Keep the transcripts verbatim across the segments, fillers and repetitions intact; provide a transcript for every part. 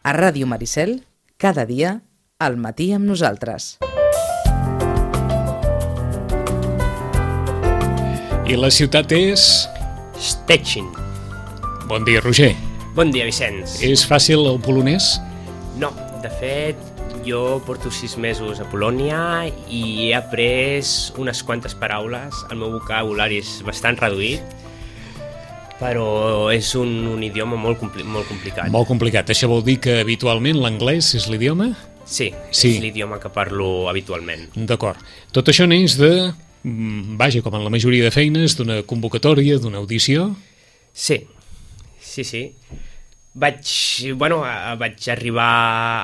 A Ràdio Maricel, cada dia, al matí amb nosaltres. I la ciutat és... Szczecin. Bon dia, Roger. Bon dia, Vicenç. És fàcil el polonès? No, de fet, jo porto sis mesos a Polònia i he après unes quantes paraules. El meu vocabulari és bastant reduït, però és un, un idioma molt, compli molt complicat. Molt complicat. Això vol dir que habitualment l'anglès és l'idioma? Sí, sí, és l'idioma que parlo habitualment. D'acord. Tot això neix de... Vaja, com en la majoria de feines, d'una convocatòria, d'una audició? Sí, sí, sí. Vaig, bueno, vaig arribar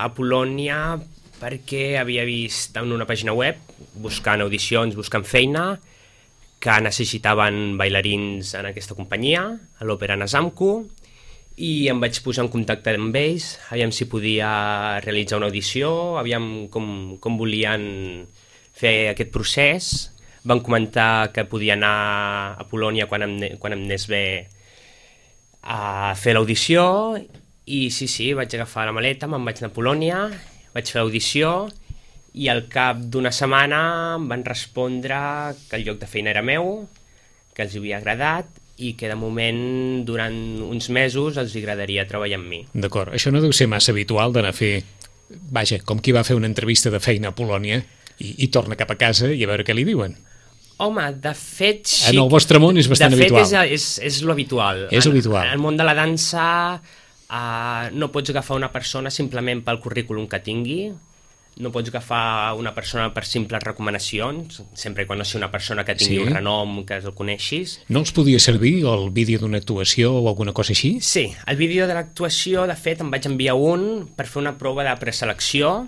a Polònia perquè havia vist en una pàgina web, buscant audicions, buscant feina, que necessitaven bailarins en aquesta companyia, a l'Òpera Nazamku, i em vaig posar en contacte amb ells, aviam si podia realitzar una audició, aviam com, com volien fer aquest procés. Van comentar que podia anar a Polònia quan em, quan em anés bé a fer l'audició, i sí, sí, vaig agafar la maleta, me'n vaig anar a Polònia, vaig fer l'audició, i al cap d'una setmana em van respondre que el lloc de feina era meu, que els havia agradat i que de moment durant uns mesos els agradaria treballar amb mi. D'acord, això no deu ser massa habitual d'anar a fer, vaja, com qui va fer una entrevista de feina a Polònia i, i torna cap a casa i a veure què li diuen. Home, de fet... Sí, en el vostre món és bastant de fet, habitual. De fet, és, és, és lo habitual. És en, habitual. En el món de la dansa uh, no pots agafar una persona simplement pel currículum que tingui, no pots agafar una persona per simples recomanacions, sempre quan no sigui una persona que tingui sí. un renom, que el coneixis. No els podia servir el vídeo d'una actuació o alguna cosa així? Sí, el vídeo de l'actuació, de fet, em vaig enviar un per fer una prova de preselecció,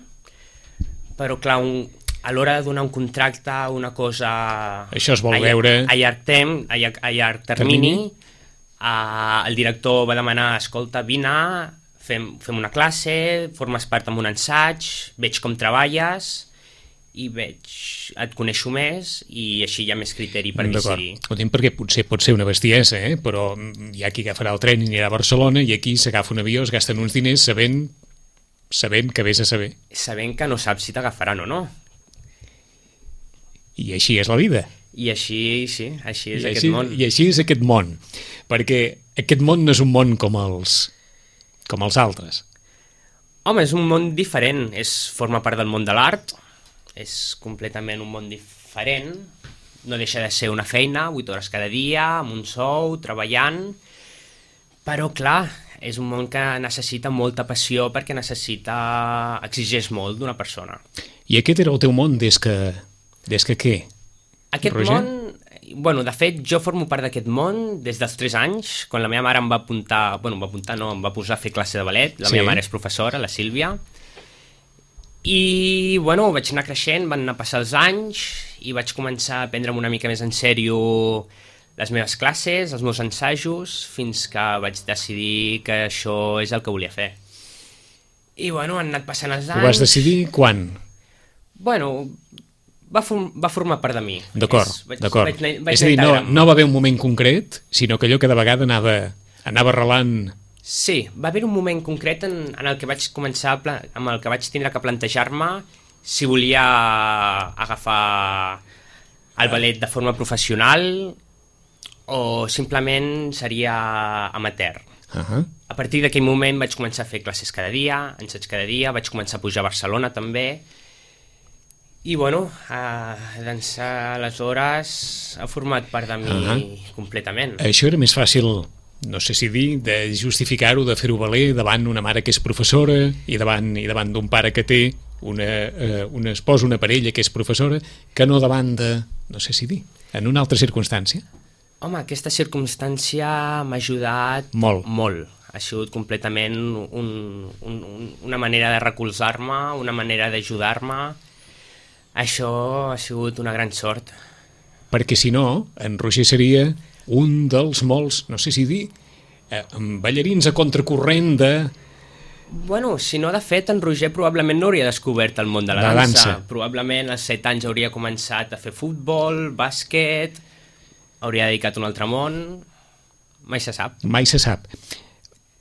però clar, un, a l'hora de donar un contracte, una cosa... Això es vol a, veure... A llarg, tem, a llarg, a llarg termini, termini? Uh, el director va demanar, escolta, vine, fem, fem una classe, formes part en un assaig, veig com treballes i veig, et coneixo més i així hi ha més criteri per decidir. Ho dic perquè potser pot ser una bestiesa, eh? Però hi ha qui agafarà el tren i anirà a Barcelona i aquí s'agafa un avió, es gasten uns diners sabent, sabent que vés a saber. Sabent que no saps si t'agafaran o no. I així és la vida. I així, sí, així és I aquest així, món. I així és aquest món, perquè aquest món no és un món com els... com els altres. Home, és un món diferent, és, forma part del món de l'art, és completament un món diferent, no deixa de ser una feina, vuit hores cada dia, amb un sou, treballant, però clar, és un món que necessita molta passió perquè necessita, exigeix molt d'una persona. I aquest era el teu món des que, des que què? Aquest Roger? món... Bueno, de fet, jo formo part d'aquest món des dels tres anys, quan la meva mare em va apuntar, bueno, em va apuntar, no, em va posar a fer classe de ballet, la sí. meva mare és professora, la Sílvia, i, bueno, vaig anar creixent, van anar passar els anys, i vaig començar a prendre'm una mica més en sèrio les meves classes, els meus ensajos, fins que vaig decidir que això és el que volia fer. I, bueno, han anat passant els anys... Ho vas decidir quan? Bueno... Va, form, va formar part de mi. D'acord, d'acord. Vaig, vaig és a dir, no, no va haver un moment concret, sinó que allò cada vegada anava, anava arrelant... Sí, va haver un moment concret en, en el que vaig començar, a amb el que vaig tindre que plantejar-me si volia agafar el ballet de forma professional o simplement seria amateur. Uh-huh. A partir d'aquell moment vaig començar a fer classes cada dia, ensaig cada dia, vaig començar a pujar a Barcelona també. I, bueno, uh, d'ençà aleshores ha format part de mi uh-huh. completament. Això era més fàcil, no sé si dir, de justificar-ho, de fer-ho valer davant una mare que és professora i davant i davant d'un pare que té una, uh, una esposa, una parella que és professora, que no davant de, no sé si dir, en una altra circumstància? Home, aquesta circumstància m'ha ajudat molt. molt. Ha sigut completament un, un, un, una manera de recolzar-me, una manera d'ajudar-me. Això ha sigut una gran sort. Perquè si no, en Roger seria un dels molts, no sé si dir, eh, ballarins a contracorrent de... Bueno, si no, de fet, en Roger probablement no hauria descobert el món de la, la dansa. dansa. Probablement als set anys hauria començat a fer futbol, bàsquet, hauria dedicat a un altre món... Mai se sap. Mai se sap.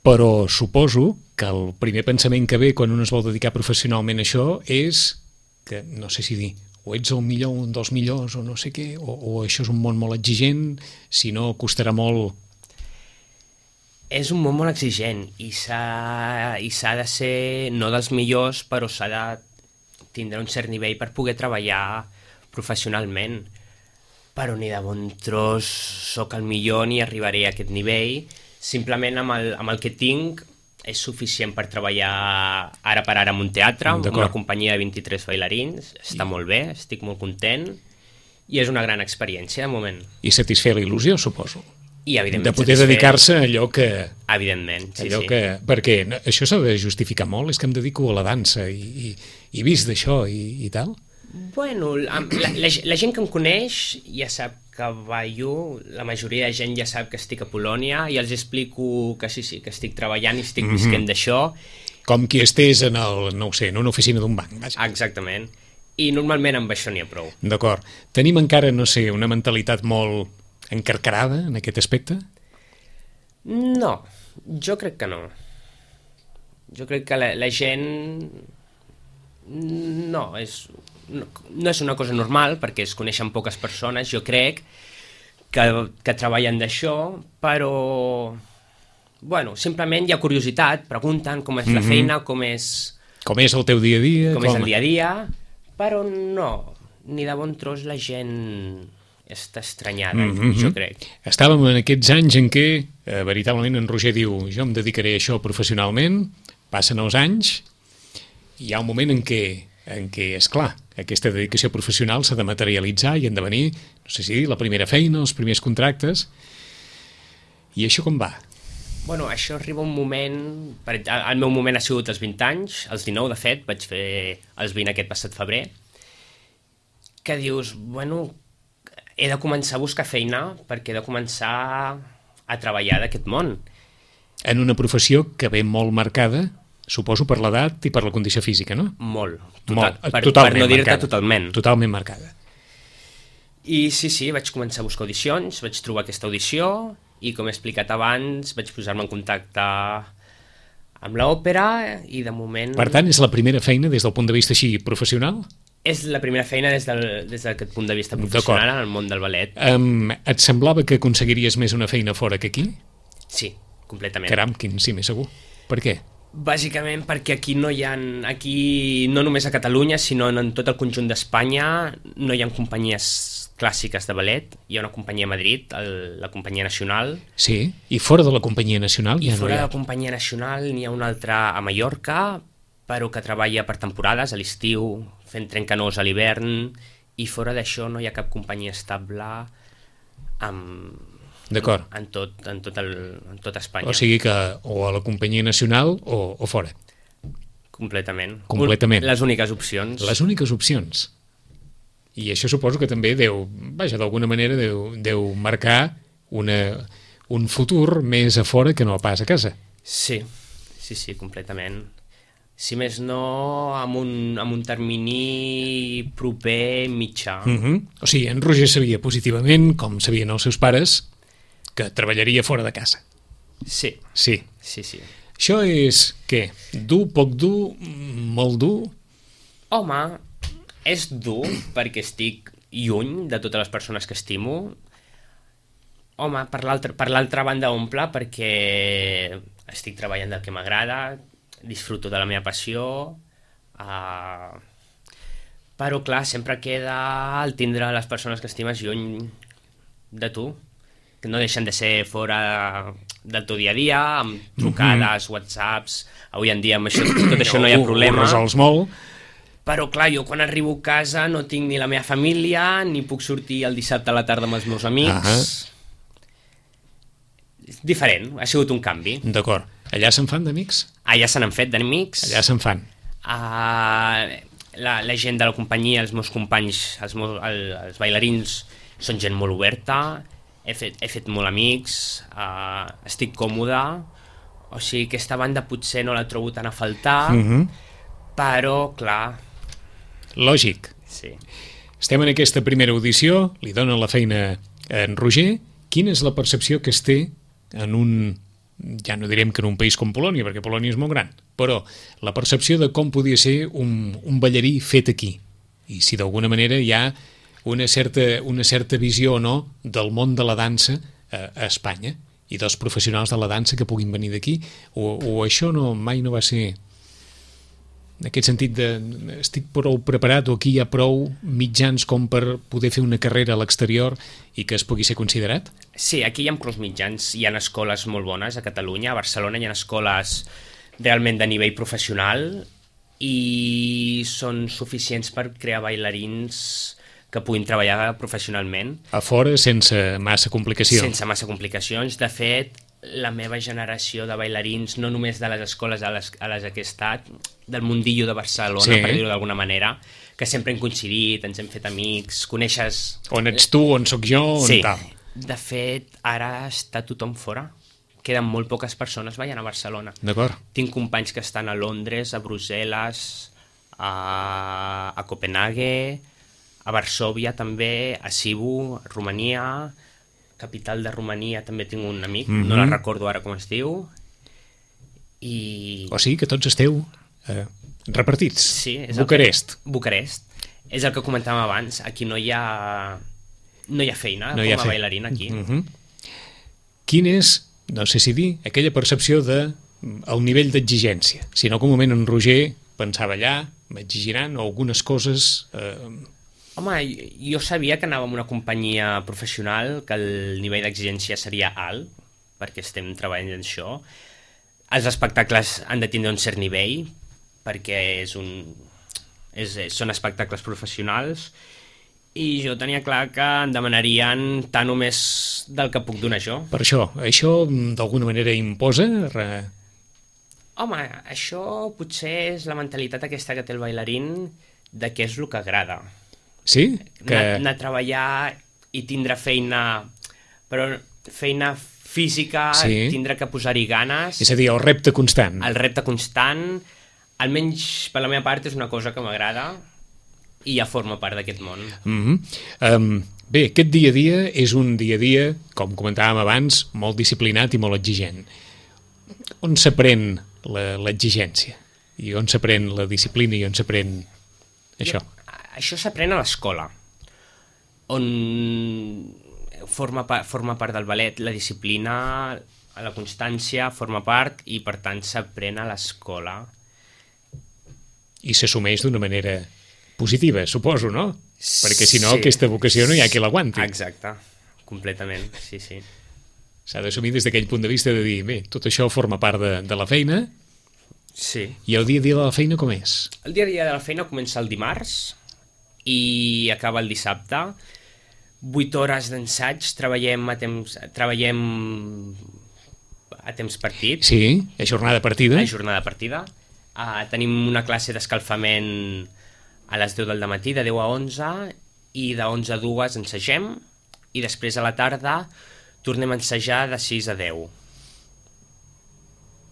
Però suposo que el primer pensament que ve quan un es vol dedicar professionalment a això és que, no sé si dir, o ets el millor, un dels millors, o no sé què, o, o això és un món molt exigent, si no costarà molt... És un món molt exigent i s'ha i s'ha de ser, no dels millors, però s'ha de tindre un cert nivell per poder treballar professionalment. Però ni de bon tros sóc el millor ni arribaré a aquest nivell. Simplement amb el, amb el que tinc és suficient per treballar ara per ara en un teatre, amb una companyia de vint-i-tres bailarins. Està I... molt bé, estic molt content i és una gran experiència de moment. I satisfer la il·lusió, suposo. I, evidentment, de poder satisfer... dedicar-se a allò que... Evidentment, sí, allò sí. Que... Perquè això s'ha de justificar molt, és que em dedico a la dansa i, i, i vist d'això i, i tal. Bueno, la, la, la gent que em coneix ja sap que ballo, la majoria de gent ja sap que estic a Polònia i els explico que sí, sí, que estic treballant i estic mm-hmm. visquent d'això. Com qui estés en, el, no ho sé, en una oficina d'un banc. Vaja. Exactament. I normalment amb això n'hi ha prou. D'acord. Tenim encara, no sé, una mentalitat molt encarcarada en aquest aspecte? No, jo crec que no. Jo crec que la, la gent... No, és... No, no és una cosa normal, perquè es coneixen poques persones, jo crec, que, que treballen d'això, però... Bueno, simplement hi ha curiositat, pregunten com és mm-hmm. la feina, com és... Com és el teu dia a dia. Com, com és el dia a dia, però no, ni de bon tros la gent està estranyada, mm-hmm. jo crec. Estàvem en aquests anys en què, eh, veritablement, en Roger diu, jo em dedicaré a això professionalment, passen els anys, i hi ha un moment en què, en què és clar, aquesta dedicació professional s'ha de materialitzar i en de venir, no sé si dir, la primera feina, els primers contractes, i això com va? Bueno, això arriba un moment... El meu moment ha sigut als vint anys, als dinou, de fet, vaig fer els vint aquest passat febrer, que dius, bueno, he de començar a buscar feina perquè he de començar a treballar d'aquest món. En una professió que ve molt marcada, suposo per l'edat i per la condició física, no? Molt. Total, molt per, totalment per no dir-te marcada. totalment. Totalment marcada. I sí, sí, vaig començar a buscar audicions, vaig trobar aquesta audició i, com he explicat abans, vaig posar-me en contacte amb l'òpera i, de moment... Per tant, és la primera feina des del punt de vista així professional? És la primera feina des del, des d'aquest punt de vista professional en el món del ballet. Um, et semblava que aconseguiries més una feina fora que aquí? Sí, completament. Caram, quin sí, més segur. Per què? Bàsicament perquè aquí no hi ha... Aquí, no només a Catalunya, sinó en tot el conjunt d'Espanya, no hi ha companyies clàssiques de ballet. Hi ha una companyia a Madrid, el, la Companyia Nacional. Sí, i fora de la Companyia Nacional I ja no hi ha. I fora de la Companyia Nacional n'hi ha una altra a Mallorca, però que treballa per temporades, a l'estiu, fent trencanós a l'hivern, i fora d'això no hi ha cap companyia estable amb... D'acord. En tot, en, tot el, en tot Espanya. O sigui que o a la Companyia Nacional o, o fora. Completament. Completament. Les úniques opcions. Les úniques opcions. I això suposo que també deu, vaja, d'alguna manera deu, deu marcar una, un futur més a fora que no pas a casa. Sí, sí, sí, completament. Si més no, amb un, amb un termini proper mitjà. Uh-huh. O sigui, en Roger sabia positivament, com sabien els seus pares, que treballaria fora de casa. Sí. Sí. Sí, sí. Això és, què? Dur, poc dur, molt dur? Home, és dur perquè estic lluny de totes les persones que estimo. Home, per l'altra per l'altra banda omple perquè estic treballant del que m'agrada, disfruto de la meva passió, uh, però clar, sempre queda el tindre les persones que estimes lluny de tu, que no deixen de ser fora del teu dia a dia, amb trucades, mm-hmm. whatsapps, avui en dia amb això, tot això no hi ha problema. Ho resols molt. Però clar, jo quan arribo a casa no tinc ni la meva família, ni puc sortir el dissabte a la tarda amb els meus amics. Uh-huh. És diferent, ha sigut un canvi. D'acord. Allà se'n fan d'amics? Allà se n'han fet d'amics. Allà se'n fan. Uh, la, la gent de la companyia, els meus companys, els, meus, el, els bailarins, són gent molt oberta, he fet, he fet molt amics, uh, estic còmode, o sigui, aquesta banda potser no la trobo tan a faltar, uh-huh. però, clar... Lògic. Sí. Estem en aquesta primera audició, li donen la feina a en Roger. Quina és la percepció que es té en un ja no direm que en un país com Polònia, perquè Polònia és molt gran, però la percepció de com podia ser un, un ballarí fet aquí, i si d'alguna manera hi ha una certa, una certa visió o no del món de la dansa a, a Espanya, i dels professionals de la dansa que puguin venir d'aquí, o, o això no, mai no va ser... En aquest sentit, de, estic prou preparat o aquí hi ha prou mitjans com per poder fer una carrera a l'exterior i que es pugui ser considerat? Sí, aquí hi ha prou mitjans. Hi ha escoles molt bones a Catalunya. A Barcelona hi ha escoles realment de nivell professional i són suficients per crear bailarins que puguin treballar professionalment. A fora, sense massa complicacions. Sense massa complicacions. De fet, la meva generació de bailarins, no només de les escoles a les, a les que he estat, del mundillo de Barcelona, sí, per dir-ho d'alguna manera, que sempre hem coincidit, ens hem fet amics, coneixes... On ets tu, on sóc jo, on sí. tal. De fet, ara està tothom fora. Queden molt poques persones ballant a Barcelona. D'acord. Tinc companys que estan a Londres, a Brussel·les, a, a Copenhague, a Varsòvia també, a Sibiu, a Romania... capital de Romania també tinc un amic, mm-hmm. no la recordo ara com es diu, i... O sigui que tots esteu eh, repartits. Sí, és Bucarest. Que... Bucarest. És el que comentàvem abans, aquí no hi ha, no hi ha feina no com ha a fe... bailarina aquí. Mm-hmm. Quin és, no sé si dir, aquella percepció de el nivell d'exigència? Si no, que un moment en Roger pensava allà, m'exigiran algunes coses... Eh, Home, jo sabia que anàvem a una companyia professional, que el nivell d'exigència seria alt, perquè estem treballant en això. Els espectacles han de tindre un cert nivell, perquè és un, és, són espectacles professionals, i jo tenia clar que em demanarien tant o més del que puc donar jo. Per això, això d'alguna manera imposa... Re... Home, això potser és la mentalitat aquesta que té el bailarín de què és el que agrada. Sí? Que... Anar, anar a treballar i tindre feina, però feina física, sí. tindre que posar-hi ganes. És a dir, el repte constant. El repte constant, almenys per la meva part és una cosa que m'agrada i ja forma part d'aquest món. Mm-hmm. um, bé, aquest dia a dia és un dia a dia, com comentàvem abans, molt disciplinat i molt exigent. On s'aprèn l'exigència? I on s'aprèn la disciplina i on s'aprèn això? Jo... Això s'aprèn a l'escola, on forma, pa forma part del ballet, la disciplina, la constància forma part i per tant s'aprèn a l'escola. I s'assumeix d'una manera positiva, suposo, no? Perquè si no, sí. aquesta vocació no hi ha qui l'aguanti. Exacte, completament, sí, sí. S'ha d'assumir des d'aquell punt de vista de dir, bé, tot això forma part de, de la feina. Sí. I el dia a dia de la feina com és? El dia a dia de la feina comença el dimarts i acaba el dissabte. Vuit hores d'ensaig, treballem a temps, treballem a temps partit. Sí, a jornada partida. A jornada partida. Uh, tenim una classe d'escalfament a les deu del matí, de deu a onze, i de onze a dues ensagem, i després a la tarda tornem a ensajar de sis a deu.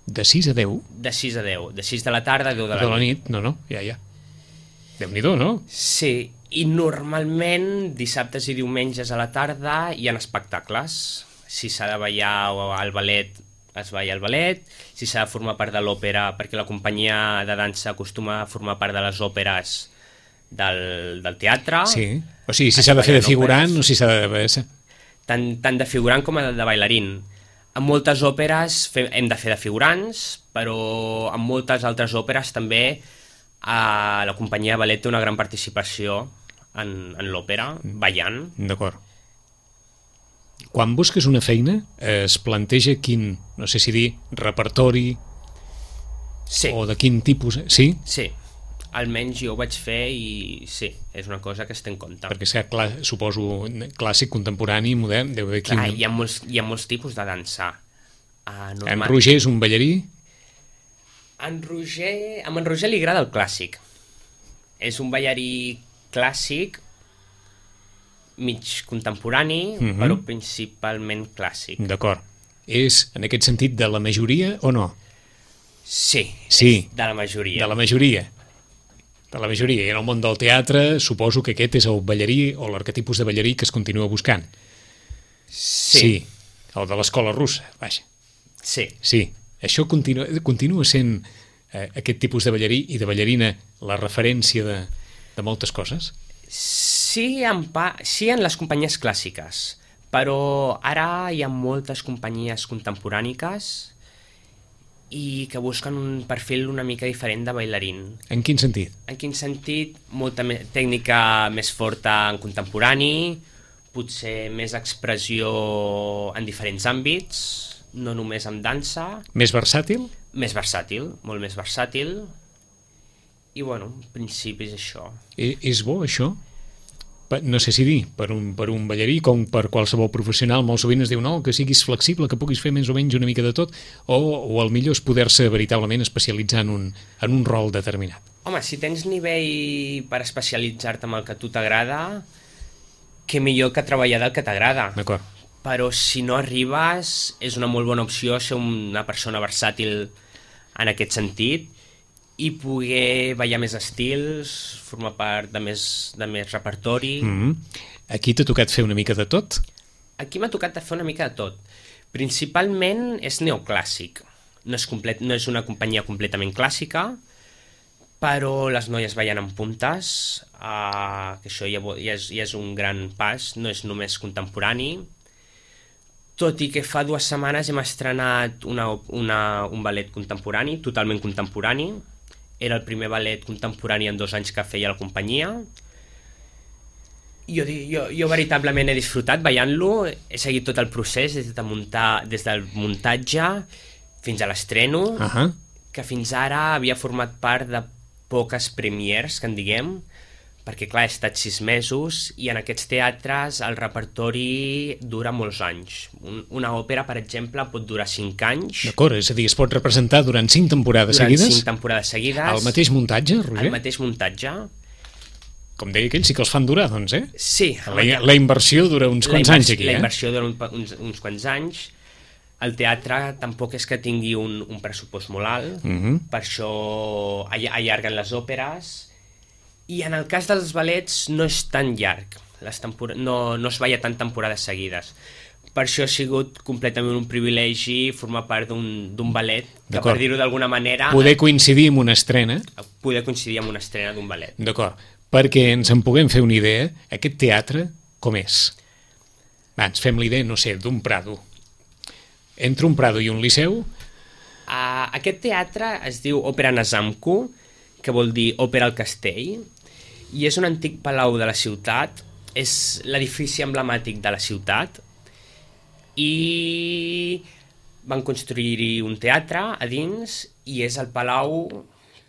De sis a deu? De sis a deu. De sis de la tarda a deu de la, de la nit. No, no, ja, ja. Déu-n'hi-do, no? Sí, i normalment dissabtes i diumenges a la tarda hi ha espectacles. Si s'ha de ballar al ballet, es balla al ballet. Si s'ha de formar part de l'òpera, perquè la companyia de dansa acostuma a formar part de les òperes del, del teatre. Sí, o sigui, si s'ha de fer de figurant o si s'ha de... Tant, tant de figurant com de bailarín. En moltes òperes fem, hem de fer de figurants, però en moltes altres òperes també a la companyia de ballet té una gran participació en, en l'òpera, ballant. D'acord. Quan busques una feina, es planteja quin, no sé si dir, repertori sí. o de quin tipus... Sí? Sí, almenys jo ho vaig fer i sí, és una cosa que es té en compte. Perquè és que, clar, suposo, clàssic, contemporani, modern, deu haver quin... Clar, hi ha molts, hi ha molts tipus de dansa. Uh, normal... En Roger és un ballarí? En Roger... A en Roger li agrada el clàssic. És un ballarí clàssic, mig contemporani, mm-hmm. però principalment clàssic. D'acord. És, en aquest sentit, de la majoria o no? Sí, sí. És de la majoria. De la majoria. De la majoria. I en el món del teatre suposo que aquest és el ballarí o l'arquetipus de ballarí que es continua buscant. Sí. Sí, el de l'escola russa, vaja. Sí. Sí. Això continua, continua sent eh, aquest tipus de ballarí i de ballarina la referència de, de moltes coses? Sí en, pa, sí en les companyies clàssiques, però ara hi ha moltes companyies contemporàniques i que busquen un perfil una mica diferent de bailarín. En quin sentit? En quin sentit? Molta me tècnica més forta en contemporani, potser més expressió en diferents àmbits, no només en dansa. Més versàtil? Més versàtil, molt més versàtil. I, bueno, en principi és això. I, és bo, això? No sé si dir, per un, per un ballarí, com per qualsevol professional, molt sovint es diu no, que siguis flexible, que puguis fer més o menys una mica de tot, o, o el millor és poder-se veritablement especialitzar en un, en un rol determinat. Home, si tens nivell per especialitzar-te en el que a tu t'agrada, què millor que treballar del que t'agrada. D'acord. Però si no arribes, és una molt bona opció ser una persona versàtil en aquest sentit, i poder ballar més estils, formar part de més, de més repertori. Mm-hmm. Aquí t'ha tocat fer una mica de tot? Aquí m'ha tocat fer una mica de tot. Principalment és neoclàssic. No és, complet, no és una companyia completament clàssica, però les noies ballen en puntes, uh, que això ja, ja, és, ja és un gran pas, no és només contemporani. Tot i que fa dues setmanes hem estrenat una, una, un ballet contemporani, totalment contemporani. Era el primer ballet contemporani en dos anys que feia la companyia. Jo, jo, jo veritablement he disfrutat ballant-lo, he seguit tot el procés des, de muntar, des del muntatge fins a l'estreno, uh-huh. que fins ara havia format part de poques premiers, que en diguem, perquè clar, he estat sis mesos i en aquests teatres el repertori dura molts anys. Un, una òpera, per exemple, pot durar cinc anys. D'acord, és a dir, es pot representar durant cinc temporades durant seguides? Durant cinc temporades seguides. El mateix muntatge, Roger? El mateix muntatge. Com deia aquell, sí que els fan durar, doncs, eh? Sí. La, la inversió dura uns quants anys aquí, eh? La inversió dura un, uns, uns quants anys. El teatre tampoc és que tingui un, un pressupost molt alt, uh-huh. per això allarguen les òperes. I en el cas dels ballets no és tan llarg, les no, no es balla tant temporades seguides. Per això ha sigut completament un privilegi formar part d'un ballet, que per dir-ho d'alguna manera... Poder coincidir amb una estrena. Poder coincidir amb una estrena d'un ballet. D'acord, perquè ens en puguem fer una idea, aquest teatre com és? Va, ens fem l'idea, no sé, d'un Prado. Entre un Prado i un Liceu? Uh, aquest teatre es diu Òpera Nazamku, que vol dir Òpera al Castell, i és un antic palau de la ciutat, és l'edifici emblemàtic de la ciutat, i van construir-hi un teatre a dins, i és el palau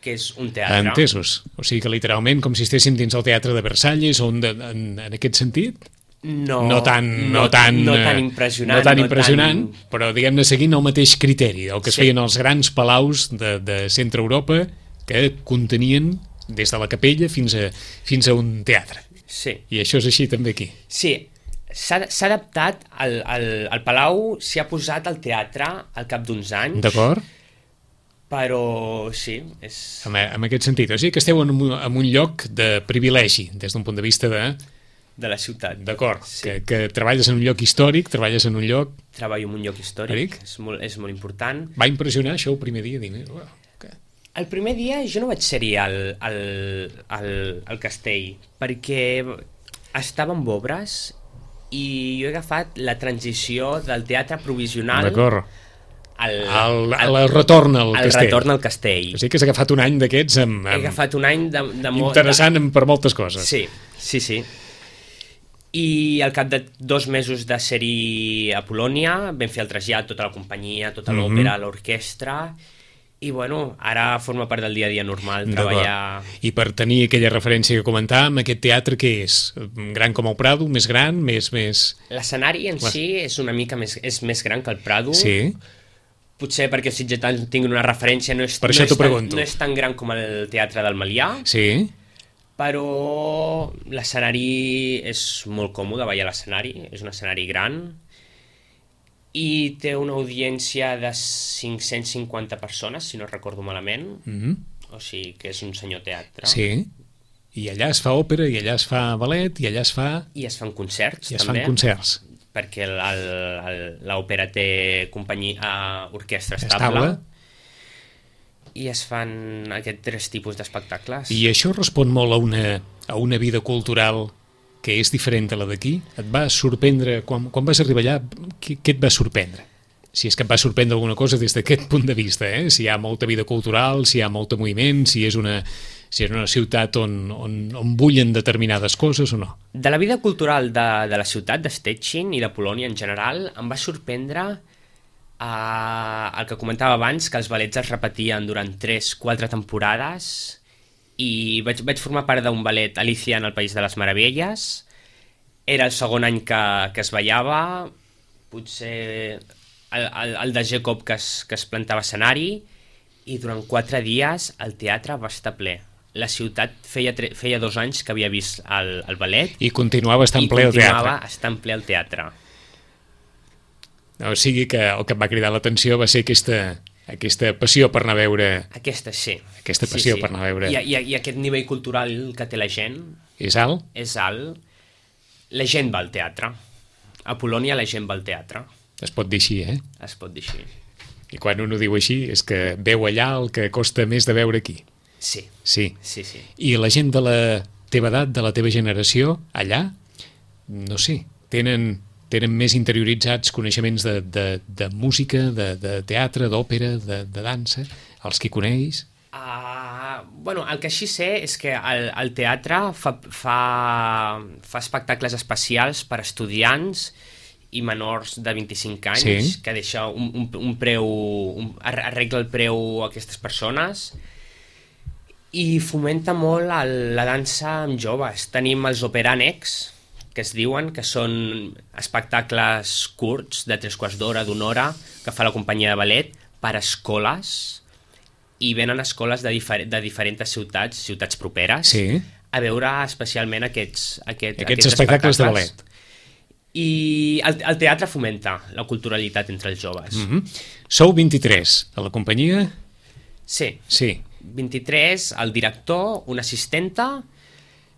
que és un teatre. Entesos. O sigui que literalment com si estéssim dins el teatre de Versalles, on de, en, en aquest sentit? No, no tan, no, no, tan, no tan impressionant, no tan no impressionant tan... però diguem-ne seguint el mateix criteri del que es sí. feien els grans palaus de, de centre Europa, que contenien des de la capella fins a, fins a un teatre. Sí. I això és així també aquí. Sí, s'ha adaptat, al, al, al Palau s'hi ha posat el teatre al cap d'uns anys. D'acord. Però sí, és... En, en aquest sentit, o sigui que esteu en un, en un lloc de privilegi, des d'un punt de vista de... de la ciutat. D'acord, sí. que, que treballes en un lloc històric, treballes en un lloc... Treballo en un lloc històric, és molt, és molt important. Va impressionar això el primer dia? Dir, oh, okay. El primer dia jo no vaig ser-hi al, al, al, al castell, perquè estava amb obres i jo he agafat la transició del teatre provisional al, al, al, al retorn al al castell. retorn al castell. O sigui que has agafat un any d'aquests amb, amb... He agafat un any de, de molt... interessant de... per moltes coses. Sí, sí, sí. I al cap de dos mesos de ser-hi a Polònia vam fer el trasllat, tota la companyia, tota l'òpera, mm-hmm. l'orquestra... I bueno, ara forma part del dia a dia normal treballar... I per tenir aquella referència que comentàvem, aquest teatre què és? Gran com el Prado? Més gran? Més, més... L'escenari en sí és una mica més, és més gran que el Prado. Sí. Potser perquè els sitgetans tinguin una referència, no és, per no, això és tan, no és tan gran com el Teatre del Melià. Sí. Però l'escenari és molt còmode, ballar a l'escenari, és un escenari gran, i té una audiència de cinc-cents cinquanta persones, si no recordo malament, mm-hmm. o sigui que és un senyor teatre. Sí, i allà es fa òpera, i allà es fa ballet, i allà es fa... I es fan concerts, I es també. fan concerts. perquè el- el- el- l'òpera té companyia, orquestra estable, Estable. i es fan aquests tres tipus d'espectacles. I això respon molt a una, a una vida cultural que és diferent a la d'aquí? Et va sorprendre, quan, quan vas arribar allà, què, què et va sorprendre? Si és que et va sorprendre alguna cosa des d'aquest punt de vista, eh? Si hi ha molta vida cultural, si hi ha molt moviment, si és una, si és una ciutat on, on, on bullen determinades coses o no. De la vida cultural de, de la ciutat, de Stettin i de Polònia en general, em va sorprendre eh, el que comentava abans, que els ballets es repetien durant tres quatre temporades, i vaig, vaig formar part d'un ballet, Alicia en el País de les Meravelles. Era el segon any que, que es ballava, potser el, el, el de Jacob que es, que es plantava escenari, i durant quatre dies el teatre va estar ple. La ciutat feia, tre- feia dos anys que havia vist el, el ballet I continuava estant i ple al continuava teatre. estant ple al teatre. O sigui que el que em va cridar l'atenció va ser aquesta, aquesta passió per anar a veure... Aquesta sí. Aquesta Sí, passió sí. per anar a veure. I, i, I aquest nivell cultural que té la gent És alt? és alt. La gent va al teatre. A Polònia la gent va al teatre. Es pot dir així, eh? Es pot dir així. I quan un ho diu així és que veu allà el que costa més de veure aquí. Sí, Sí. sí, sí. I la gent de la teva edat, de la teva generació, allà, no sé, tenen, tenen més interioritzats coneixements de, de, de música, de, de teatre, d'òpera, de, de dansa, els que coneix... Uh, bueno, el que així sé és que el, el teatre fa, fa, fa espectacles especials per estudiants i menors de vint-i-cinc anys, Sí. que deixa un, un, un preu, un, arregla el preu a aquestes persones, i fomenta molt el, la dansa amb joves. Tenim els operànecs, que es diuen, que són espectacles curts, de tres quarts d'hora, d'una hora, que fa la companyia de ballet, per escoles, i venen escoles de, difer de diferents ciutats, ciutats properes, Sí. a veure especialment aquests, aquest, Aquests espectacles de ballet. I el, el teatre fomenta la culturalitat entre els joves. Mm -hmm. Sou vint-i-tres a la companyia? Sí, Sí. vint-i-tres, el director, una assistenta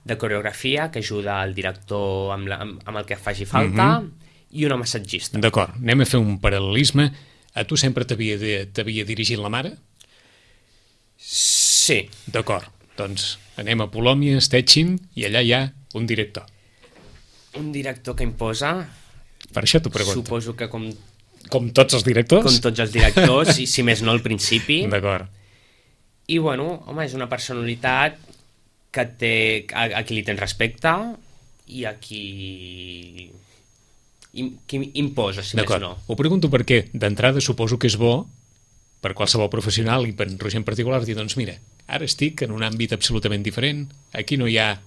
de coreografia que ajuda el director amb, la, amb, amb el que faci falta, Mhm. i una massatgista. D'acord, anem a fer un paral·lelisme. A tu sempre t'havia de- t'havia dirigit la mare? Sí, D'acord, doncs anem a Polònia, Stettin, i allà hi ha un director. un director que imposa, Per això t'ho pregunto. suposo que com, Com tots els directors? com tots els directors, i si més no al principi. D'acord. I bueno, home, és una personalitat que té, a, a qui li tens respecte i a qui, im, qui imposa, si més D'acord. no. Ho pregunto perquè d'entrada suposo que és bo per qualsevol professional i per en Roger en particular dir, doncs mira, ara estic en un àmbit absolutament diferent, aquí no hi ha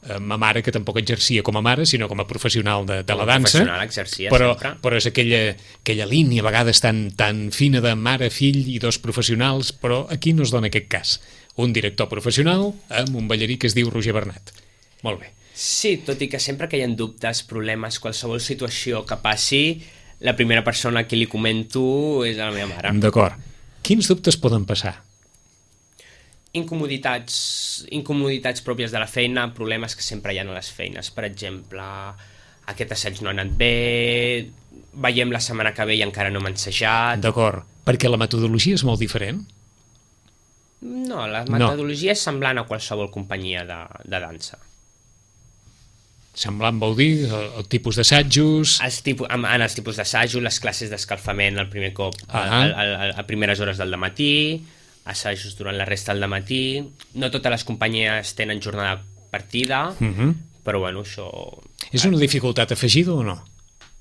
eh, ma mare que tampoc exercia com a mare sinó com a professional de, de Com a la dansa, professional exercia però, sempre. però és aquella, aquella línia a vegades tan, tan fina de mare, fill i dos professionals, però aquí no es dona aquest cas. Un director professional amb un ballarí que es diu Roger Bernat. Molt bé. Sí, tot i que sempre que hi ha dubtes, problemes, qualsevol situació que passi, la primera persona a qui li comento és a la meva mare. D'acord. Quins dubtes poden passar? Incomoditats, incomoditats pròpies de la feina, problemes que sempre hi ha a les feines. Per exemple, aquest assaig no ha anat bé, veiem la setmana que ve i encara no hem ensajat. D'acord. Perquè la metodologia és molt diferent? No, la metodologia és semblant a qualsevol companyia de, de dansa. Semblant vol dir el, el tipus d'assajos... Els tipus, en, en els tipus d'assajo, les classes d'escalfament el primer cop a, Ah. a, a, a primeres hores del matí, assajos durant la resta del matí. No totes les companyies tenen jornada partida, Uh -huh. però bueno, això... És una dificultat afegida o no?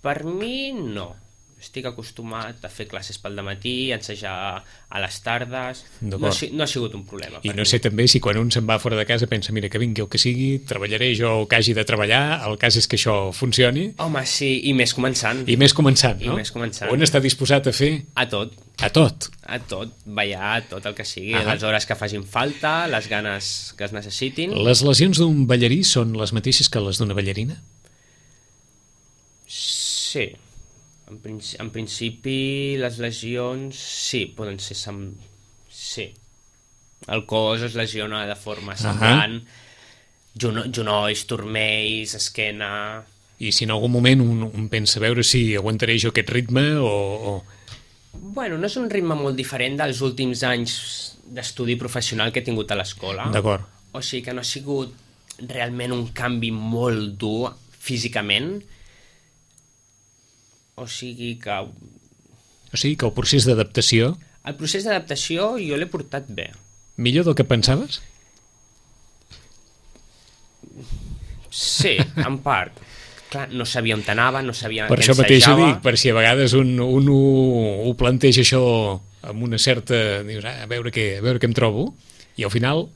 Per mi, no. Estic acostumat a fer classes pel dematí, a ensejar a les tardes. No, D'acord. ha si- no ha sigut un problema. I per no mi. sé també si quan un se'n va fora de casa pensa, mira, que vingui el que sigui, treballaré jo el que hagi de treballar, el cas és que això funcioni, Home, sí, i més començant. i més començant, I no? més començant. Un està disposat a fer A tot, a tot. a tot, ballar, a tot el que sigui, Ahà. les hores que facin falta, les ganes que es necessitin. Les lesions d'un ballarí són les mateixes que les d'una ballarina? Sí. En, princi en principi, les lesions, sí, poden ser... Sem sí. El cos es lesiona de forma semblant. Juno genolls, turmells, esquena... i si en algun moment un, un pensa a veure si aguantaré jo aquest ritme o... o... Bueno, no és un ritme molt diferent dels últims anys d'estudi professional que he tingut a l'escola. D'acord. O sigui que no ha sigut realment un canvi molt dur físicament. O sigui que... O sigui que el procés d'adaptació... El procés d'adaptació jo l'he portat bé. Millor del que pensaves? Sí, en part. Clar, no sabia on anava, no sabia per què això mateix ho ensejava. dic, per si a vegades un, un ho, ho planteja això amb una certa... Dius, ah, a veure què, a veure què em trobo, i al final...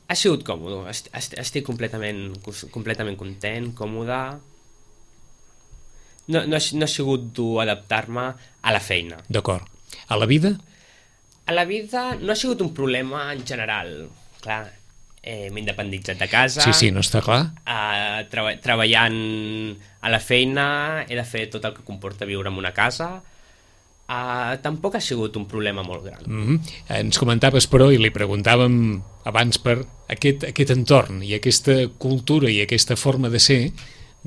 Ha sigut còmode, est est estic completament, completament content, còmode. No, no, ha, no ha sigut dur adaptar-me a la feina. D'acord. A la vida? A la vida no ha sigut un problema en general. Clar, eh, m'he independitzat de casa. Sí, sí, no està clar. Eh, treba treballant a la feina, he de fer tot el que comporta viure en una casa. Eh, tampoc ha sigut un problema molt gran. Mm-hmm. Ens comentaves, però, i li preguntàvem abans per aquest, aquest entorn i aquesta cultura i aquesta forma de ser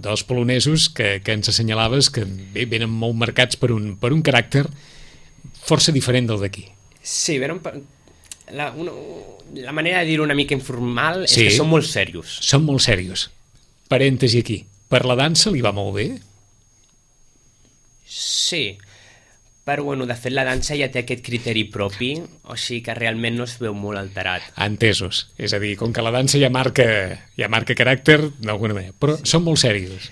dels polonesos que, que ens assenyalaves que bé, venen molt marcats per un, per un caràcter força diferent del d'aquí. Sí, venen per... La, una, la manera de dir-ho una mica informal és sí, que són molt serios. Són molt serios. Parèntesi aquí. Per la dansa li va molt bé? Sí, però bueno, de fet la dansa ja té aquest criteri propi, o sigui que realment no es veu molt alterat. Entesos. És a dir, com que la dansa ja marca, ja marca caràcter, d'alguna manera. Però sí, són molt serios.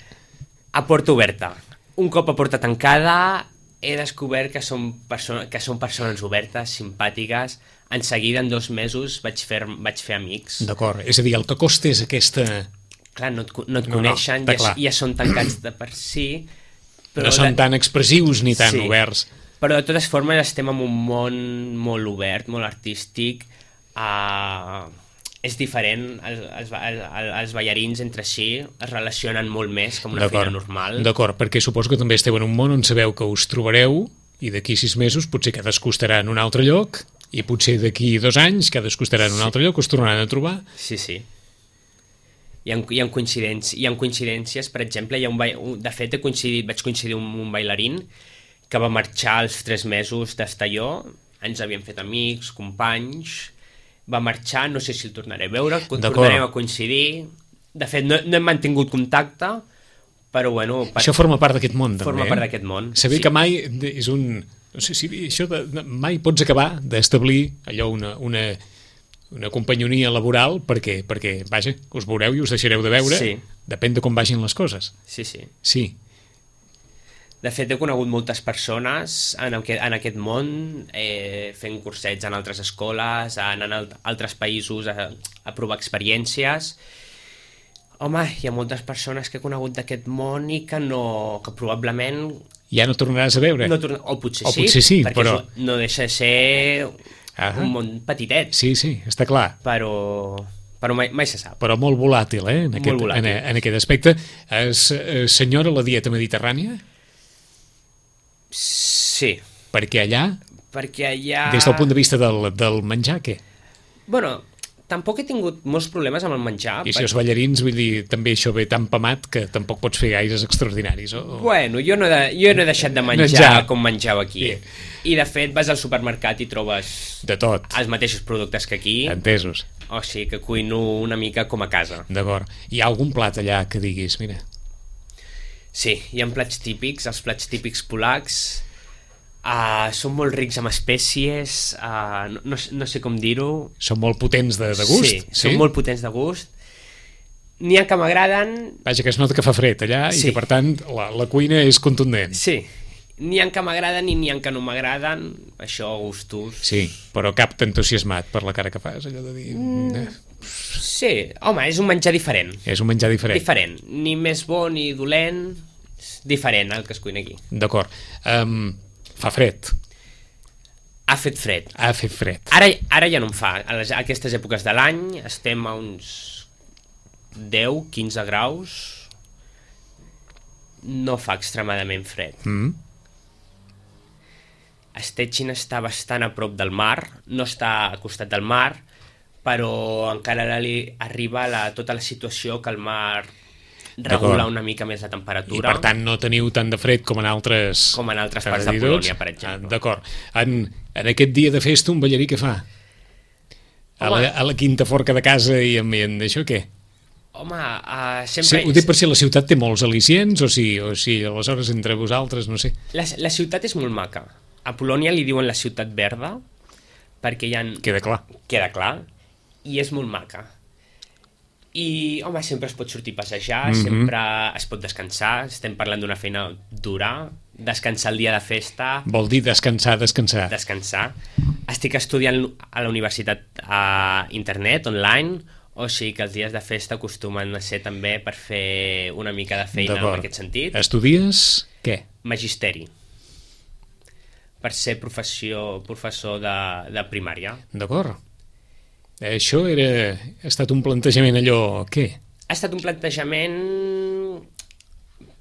A porta oberta. Un cop a porta tancada he descobert que són, que són persones obertes, simpàtiques. En seguida, en dos mesos, vaig fer, vaig fer amics. D'acord. És a dir, el que costa és aquesta... Clar, no et, no et no, coneixen, no, ja, ja són tancats de per si. Però no són de... tan expressius ni tan sí, oberts. Però de totes formes estem en un món molt obert, molt artístic. Uh, és diferent, els, els, els, els ballarins entre si es relacionen molt més que una feina normal. D'acord, perquè suposo que també esteu en un món on sabeu que us trobareu i d'aquí sis mesos potser cadascú estarà en un altre lloc i potser d'aquí dos anys cadascú estarà en un altre lloc, us tornaran a trobar. Sí, sí. Hi ha, hi ha, coincidències, hi ha coincidències, per exemple, hi ha un ba... de fet he coincidit, vaig coincidir amb un bailarín que va marxar als tres mesos d'estar jo, ens havíem fet amics, companys, va marxar, no sé si el tornaré a veure, tornarem a coincidir, de fet no, no hem mantingut contacte, però bueno... Per... Això forma part d'aquest món, també. Forma part d'aquest món. Saber sí. que mai és un... No sé si això de, mai pots acabar d'establir allò una, una, una companyonia laboral perquè, perquè, vaja, us veureu i us deixareu de veure, sí. Depèn de com vagin les coses. Sí, sí. Sí. De fet, he conegut moltes persones en aquest, en aquest món, eh, fent cursets en altres escoles, anant a altres països a, a provar experiències. Home, hi ha moltes persones que he conegut d'aquest món i que no, que probablement... Ja no tornaràs a veure? No torna... O potser o sí, potser sí perquè però... no deixa de ser ah, un món petitet. Sí, sí, està clar. Però, però mai, mai se sap. Però molt volàtil, eh? En aquest, molt volàtil. En, en aquest aspecte. Es, es senyora la dieta mediterrània? Sí. Perquè allà? Perquè allà... Des del punt de vista del, del menjar, què? Bueno... Tampoc he tingut molts problemes amb el menjar. I si els ballarins, vull dir, també això ve tan pamat que tampoc pots fer gaires extraordinaris. O... Bueno, jo no, he de, jo no he deixat de menjar, menjar. com menjau aquí. Yeah. I de fet vas al supermercat i trobes... De tot. Els mateixos productes que aquí. Entesos. O sigui que cuino una mica com a casa. D'acord. Hi ha algun plat allà que diguis, mira... Sí, hi ha plats típics, els plats típics polacs... Uh, són molt rics amb espècies, uh, no, no, no sé com dir-ho. Són molt potents de, de gust? Sí, sí, són molt potents de gust. N'hi ha que m'agraden... Vaja, que es nota que fa fred allà sí. I que, per tant, la, la cuina és contundent. Sí, n'hi ha que m'agraden i n'hi ha que no m'agraden, això gustos... Sí, però cap t'entusiasmat per la cara que fas, allò de dir... Mm, sí, home, és un menjar diferent. És un menjar diferent. Diferent, ni més bo ni dolent, diferent el que es cuina aquí. D'acord. Um, fa fred. Ha fet fred. Ha fet fred. Ara, ara ja no en fa. A, les, a aquestes èpoques de l'any estem a uns deu a quinze graus. No fa extremadament fred. Mm. Stettin està bastant a prop del mar, no està al costat del mar, però encara li arriba la, tota la situació que el mar regular una mica més la temperatura. I per tant no teniu tant de fred com en altres... Com en altres parts de Polònia, per exemple. Ah, d'acord. En, en aquest dia de festa un ballarí què fa? A la, a la quinta forca de casa i amb, amb això què? Home, uh, sempre... Sí, ho dic per si la ciutat té molts al·licients o si, o si aleshores entre vosaltres, no sé. La, la ciutat és molt maca. A Polònia li diuen la ciutat verda perquè hi ha... Queda clar. Queda clar. I és molt maca. I, home, sempre es pot sortir a passejar, mm-hmm. sempre es pot descansar, estem parlant d'una feina dura, descansar el dia de festa... Vol dir descansar, descansar. Descansar. Estic estudiant a la universitat a internet, online, o sigui que els dies de festa acostumen a ser també per fer una mica de feina en aquest sentit. Estudies què? Magisteri. Per ser professió, professor de, de primària. D'acord. Això era... ha estat un plantejament allò... què? Ha estat un plantejament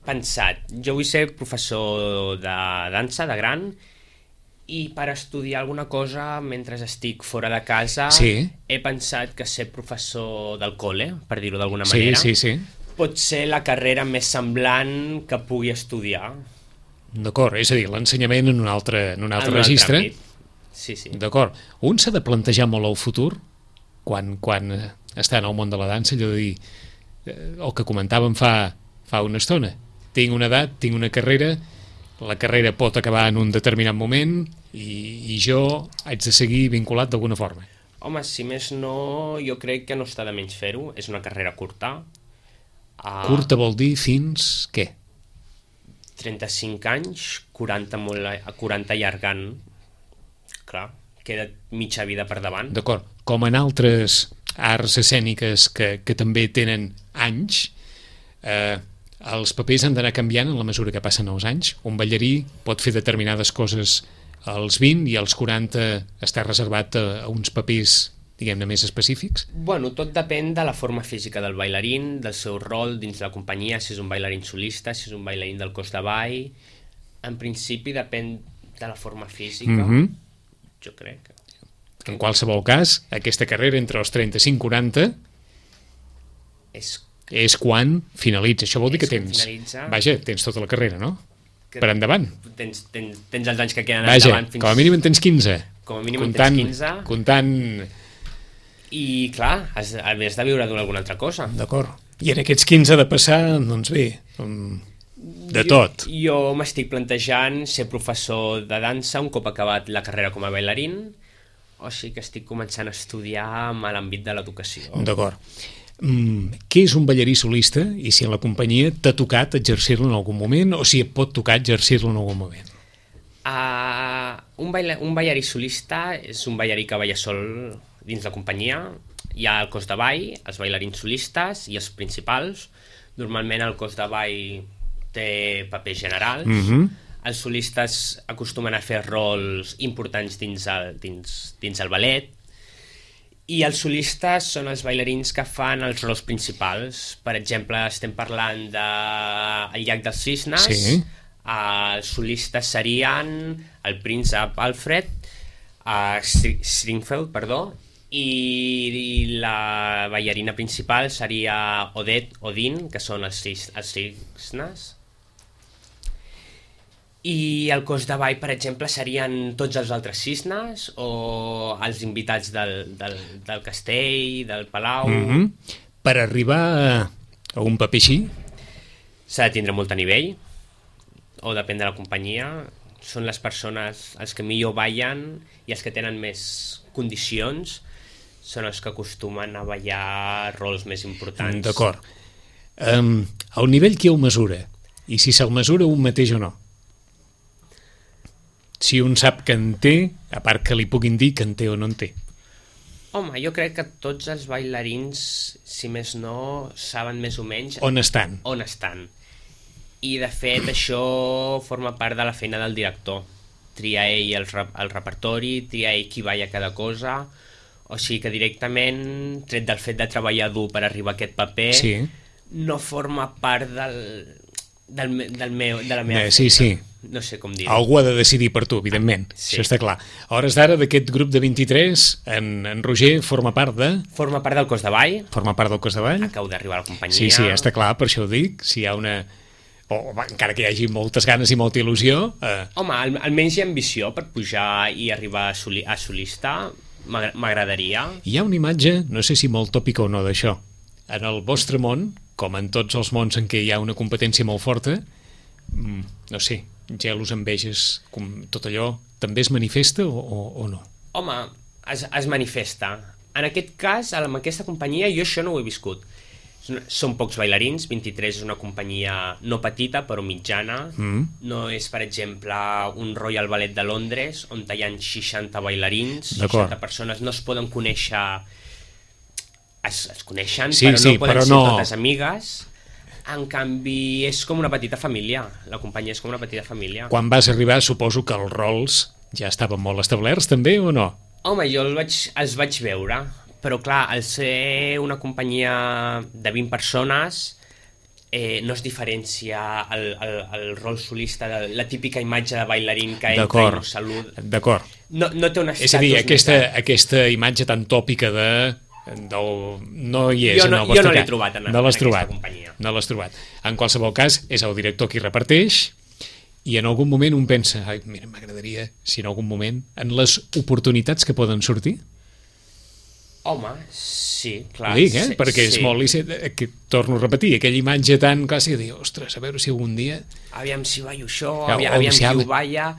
pensat. Jo vull ser professor de dansa, de gran, i per estudiar alguna cosa mentre estic fora de casa sí. he pensat que ser professor del col·le, per dir-ho d'alguna sí, manera, sí, sí. pot ser la carrera més semblant que pugui estudiar. D'acord, és a dir, l'ensenyament en un altre, en un altre en un registre. Altre sí, sí. D'acord. Un s'ha de plantejar molt el futur quan, quan està en el món de la dansa, allò de dir, eh, el que comentàvem fa, fa una estona. Tinc una edat, tinc una carrera, la carrera pot acabar en un determinat moment i, i jo haig de seguir vinculat d'alguna forma. Home, si més no, jo crec que no està de menys fer-ho. És una carrera curta. Uh, curta vol dir fins què? trenta-cinc anys, quaranta, molt, quaranta allargant. Clar, queda mitja vida per davant. D'acord. Com en altres arts escèniques que, que també tenen anys, eh, els papers han d'anar canviant en la mesura que passen els anys. Un ballarí pot fer determinades coses als vint i als quaranta està reservat a, a uns papers, diguem-ne, més específics? Bueno, tot depèn de la forma física del bailarín, del seu rol dins la companyia, si és un bailarín solista, si és un bailarín del cos de ball. En principi depèn de la forma física, mm-hmm. jo crec. En qualsevol cas, aquesta carrera entre els trenta-cinc i quaranta és, és quan finalitza. Això vol dir que tens... Finalitza... Vaja, tens tota la carrera, no? Que per endavant. Tens, tens, tens els anys que queden Vaja, endavant. Fins... com a mínim en tens quinze. Com a mínim comptant, en tens quinze. Comptant... I, clar, has, has de viure d'alguna altra cosa. D'acord. I en aquests quinze de passar, doncs bé, de jo, tot. Jo m'estic plantejant ser professor de dansa un cop acabat la carrera com a bailarín, o sigui que estic començant a estudiar amb l'àmbit de l'educació. D'acord. Mm, què és un ballarí solista i si en la companyia t'ha tocat exercir-lo en algun moment o si et pot tocar exercir-lo en algun moment? Uh, un, baila, un ballarí solista és un ballarí que balla sol dins la companyia. Hi ha el cos de ball, els bailarins solistes i els principals. Normalment el cos de ball té papers generals. Mm-hmm. Els solistes acostumen a fer rols importants dins el, dins, dins el ballet i els solistes són els bailarins que fan els rols principals. Per exemple, estem parlant de El llac dels cisnes. Sí. Els solistes serien el príncep Alfred, uh, Stringfeld, perdó, i, i la ballarina principal seria Odette Odin, que són els, cis, els cisnes. I el cos de ball, per exemple, serien tots els altres cisnes o els invitats del, del, del castell, del palau. Mm-hmm. Per arribar a un paper així? S'ha de tindre molt a nivell, o depèn de la companyia. Són les persones, els que millor ballen i els que tenen més condicions, són els que acostumen a ballar rols més importants. D'acord. Um, el nivell qui ho mesura? I si se'l mesura un mateix o no? Si un sap que en té, a part que li puguin dir que en té o no en té. Home, jo crec que tots els bailarins, si més no, saben més o menys... On estan. On estan. I, de fet, això forma part de la feina del director. Triar ell el, el repertori, triar ell qui balla cada cosa... O sigui que directament, tret del fet de treballar dur per arribar a aquest paper, sí. no forma part del, del, del meu, de la meva eh, sí, feina. Sí. no sé com dir-ho. Algú ha de decidir per tu, evidentment, sí. Això està clar. A hores d'ara, d'aquest grup de vint-i-tres, en, en Roger forma part de... Forma part del cos de ball. Forma part del cos de ball. Acabo d'arribar a la companyia. Sí, sí, està clar, per això ho dic. Si hi ha una... O, encara que hi hagi moltes ganes i molta il·lusió... Eh... Home, al, almenys hi ha ambició per pujar i arribar a, soli, a solista. M'agradaria. Hi ha una imatge, no sé si molt tòpica o no, d'això. En el vostre món, com en tots els mons en què hi ha una competència molt forta, no sé, gelos, enveges, com tot allò, també es manifesta o, o, o no? Home, es, es manifesta. En aquest cas, amb aquesta companyia, jo això no ho he viscut. Són pocs bailarins, vint-i-tres és una companyia no petita, però mitjana. Mm. No és, per exemple, un Royal Ballet de Londres, on hi ha seixanta bailarins, seixanta persones, no es poden conèixer... Es, es coneixen, sí, però sí, no poden però ser no... totes amigues. En canvi, és com una petita família. La companyia és com una petita família. Quan vas arribar, suposo que els rols ja estaven molt establerts, també, o no? Home, jo el vaig, els vaig veure... Però clar, al ser una companyia de vint persones eh, no es diferencia el, el, el rol solista de la típica imatge de bailarín que entra i no saluda. D'acord. No, no té un estatus... És a dir, aquesta, aquesta imatge tan tòpica de... Del, no hi és jo no, en el vostre jo no l'he cas. trobat en, no en l'has aquesta trobat. companyia. No l'has trobat. En qualsevol cas, és el director qui reparteix i en algun moment un pensa, ai, mira, m'agradaria si en algun moment, en les oportunitats que poden sortir. Home, sí, clar. Ho dic, eh? Sí, perquè és sí. molt lícit, que torno a repetir, aquella imatge tan clàssica de dir, ostres, a veure si algun dia... Aviam si ballo això, Ja, aviam, o aviam si qui ha- ho balla...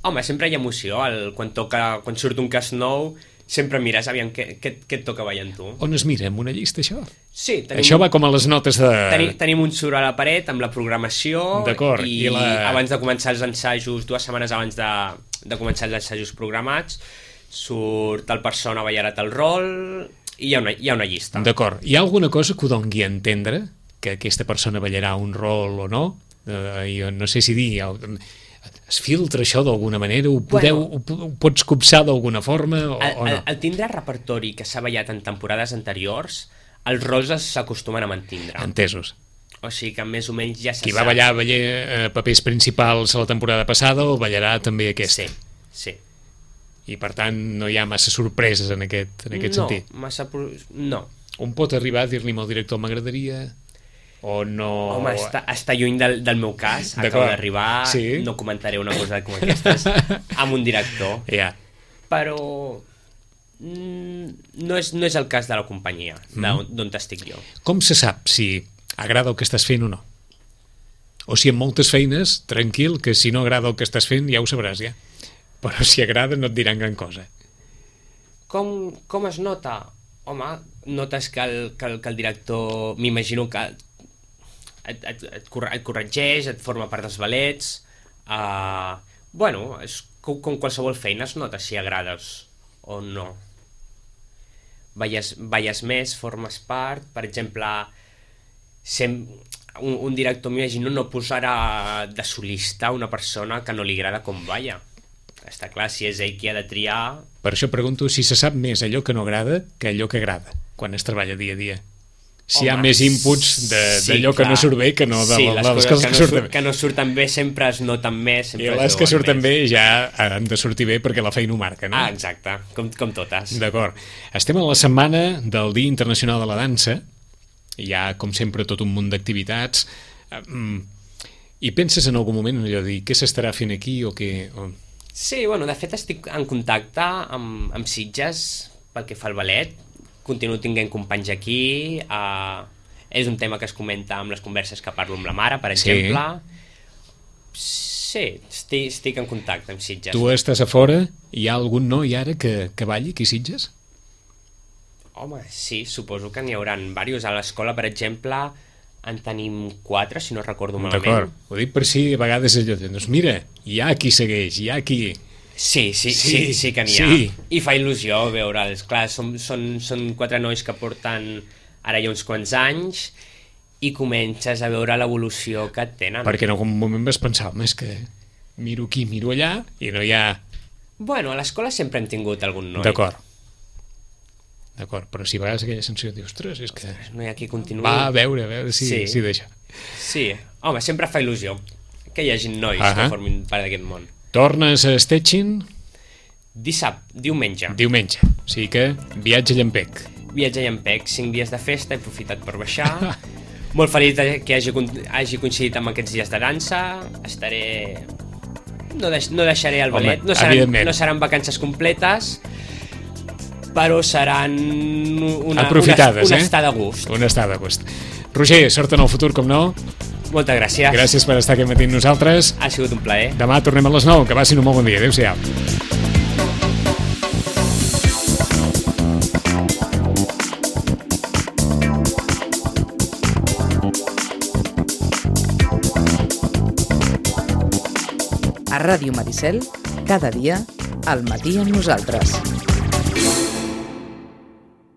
Home, sempre hi ha emoció, el, quan, toca, quan surt un cas nou, sempre mires aviam què, què, què et toca ballant tu. On es mira? En una llista, això? Sí, tenim, Això va com a les notes de... tenim, tenim un suro a la paret amb la programació D'acord, i, i la- abans de començar els ensajos, dues setmanes abans de, de començar els ensajos programats, surt el persona ballarà el rol i hi ha una, hi ha una llista. D'acord. Hi ha alguna cosa que ho dongui a entendre? Que aquesta persona ballarà un rol o no? Eh, jo no sé si dir... Es filtra això d'alguna manera? Ho, podeu, Bueno. ho, ho pots copsar d'alguna forma o, El, o el, no? el tindre repertori que s'ha ballat en temporades anteriors, els rols s'acostumen a mantindre. Entesos. O sigui que més o menys ja se Qui va sap. ballar, ballar eh, papers principals a la temporada passada o ballarà també aquesta? Sí, sí. I per tant no hi ha massa sorpreses en aquest, en aquest no, sentit. Massa pro... No. On pot arribar a dir-li al director m'agradaria o no... Home, està, està lluny del, del meu cas, acabo D'acord. d'arribar, Sí. no comentaré una cosa com aquestes amb un director, Ja. però mm, no, és, no és el cas de la companyia, d'on d'on estic jo. Com se sap si agrada el que estàs fent o no? O si en moltes feines, tranquil, que si no agrada el que estàs fent ja ho sabràs ja. Però si agrada no et diran gran cosa. Com, com es nota? Home, notes que el, que el, que el director, m'imagino que et, et, et, corre, et corregeix, et forma part dels ballets. Uh, bueno, és com, com qualsevol feina es nota si agrades o no. Balles, balles més, formes part, per exemple, sem, un, un director, m'imagino, no posarà de solista una persona que no li agrada com balla. Està clar, si és ell qui ha de triar... Per això pregunto si se sap més allò que no agrada que allò que agrada, quan es treballa dia a dia. Si Home, hi ha més inputs de- sí, d'allò que clar. no surt bé que no de sí, la- les, les coses, coses que, que no surten surt, bé. que no surten bé sempre es noten més. I Sempre les es que veuen surten més. bé ja han de sortir bé perquè la feina ho marca, no? Ah, exacte, com, com totes. D'acord. Estem a la setmana del Dia Internacional de la Dansa. Hi ha, com sempre, tot un munt d'activitats. Mm, I penses en algun moment en allò de dir què s'estarà fent aquí o què... O... Sí, bueno, de fet estic en contacte amb, amb Sitges pel que fa al ballet. Continuo tinguent companys aquí. Uh, és un tema que es comenta amb les converses que parlo amb la mare, per Sí. exemple. Sí, estic, estic en contacte amb Sitges. Tu estàs a fora? Hi ha algun noi ara que, que balli aquí a Sitges? Home, sí, suposo que n'hi haurà diversos. A l'escola, per exemple, en tenim quatre, si no recordo malament. D'acord. Ho dic per si a vegades allò de, doncs mira, hi ha qui segueix, hi ha qui... Sí, sí, sí, Sí, sí, sí que n'hi ha. sí. I fa il·lusió veure'ls. Clar, són, són, són quatre nois que porten ara ja uns quants anys i comences a veure l'evolució que tenen. Perquè en algun moment vas pensar, home, és que miro aquí, miro allà i no hi ha... Bueno, a l'escola sempre hem tingut algun noi. D'acord. D'acord, però si a vegades aquella sensació de dir, ostres, és que... No hi ha qui continuï. Va, a veure, a veure si, Sí. si deixa. Sí, home, sempre fa il·lusió que hi hagi nois uh-huh. que formin part d'aquest món. Tornes a Stettin? Dissabte, diumenge. Diumenge, o sigui que viatge llampec. Viatge a Llampec, cinc dies de festa, he aprofitat per baixar. Molt feliç que hagi, hagi coincidit amb aquests dies de dansa. Estaré... No, deix, no deixaré el ballet. Home, no, seran, evidentment. no seran vacances completes, però seran una, Apropitades, una, una eh? estada a gust. Una estada a gust. Roger, sort en el futur, com no. Moltes gràcies. Gràcies per estar aquest matí amb nosaltres. Ha sigut un plaer. Demà tornem a les nou. Que passin un molt bon dia. Adéu-siau. A Ràdio Maricel, cada dia, al matí amb nosaltres.